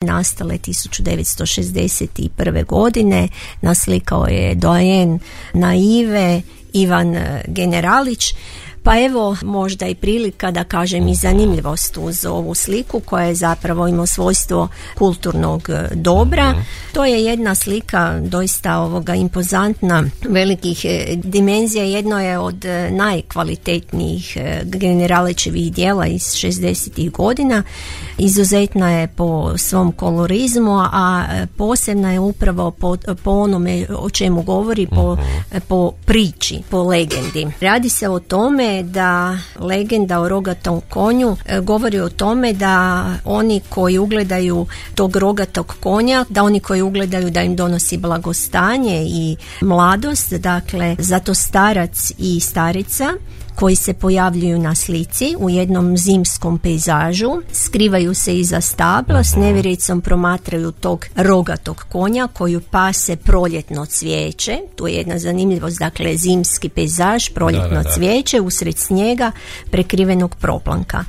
nastale 1961. godine. Naslikao je doajen naive Ivan Generalić. Pa evo, možda i prilika da kažem i zanimljivost uz ovu sliku koja je zapravo ima svojstvo kulturnog dobra. To je jedna slika doista impozantna, velikih dimenzija. Jedno je od najkvalitetnijih Generalićevih dijela iz 60. godina. Izuzetna je po svom kolorizmu, a posebna je upravo po onome o čemu govori, po priči, po legendi. Radi se o tome da legenda o rogatom konju govori o tome da oni koji ugledaju tog rogatog konja, da oni koji ugledaju da im donosi blagostanje i mladost, dakle zato starac i starica koji se pojavljuju na slici u jednom zimskom pejzažu, skrivaju se iza stabla, s nevjericom promatraju tog rogatog konja koju pase proljetno cvijeće. Tu je jedna zanimljivost, dakle zimski pejzaž, proljetno cvijeće usred snijega prekrivenog proplanka.